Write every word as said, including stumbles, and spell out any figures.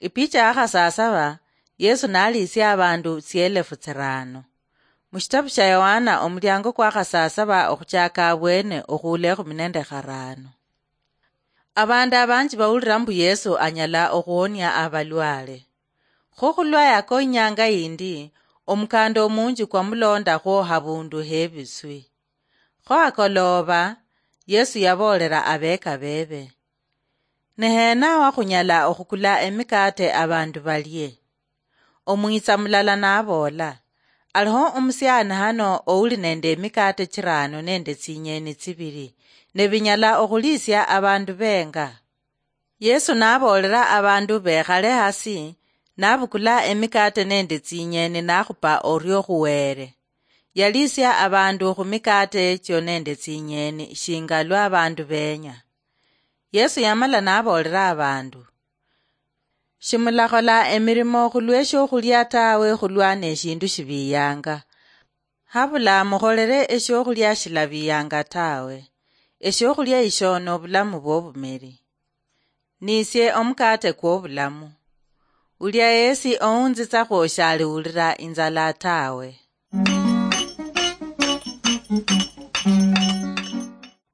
Ipicha ya khasasaba, Yesu naliisia abandu tsielefu tsirano. Mushitabu shia Yohana, omuliango kwa khasasaba okhuchaka abwene okhuula ekhumi nende kharano. Abandu abanji bawulira mbu Yesu anyala okhuonia abalwale. Kho khulwa yako inyanga yindi, omukanda omunji kwamulondakhwo habundu hebiswi. Kho akolooba, Yesu yaboolera abeeka beebe, "Ni heena wa khunyala okhukula emikaate abandu balie?" Omwitsa mulala naboola, "Aliho omusiani hano ouli nende emikaate chirano nende tsinyeeni tsibili, ne binyala okhuliisia abandu benga?" Yesu naboolera abandu bekhale hasi, nabukula emikaate nende tsinyeeni nakhupa orio khuweere. Yaliisia abandu khumikaate echio nende tsinyeeni shinga lwa abandu benya. Yesu yamala naboolera abandu, "Shimulakhola emirimo khulweshiokhulya tawe khulwa neshindu shibiyanga. Habula mukholere eshiokhulya shilabiyanga tawe. Eshiokhulya isho nobulamu bwobumeri. Nisie omukate kwobulamu. Ulia yesi ounzitsakhwo shaliwulira inzala tawe."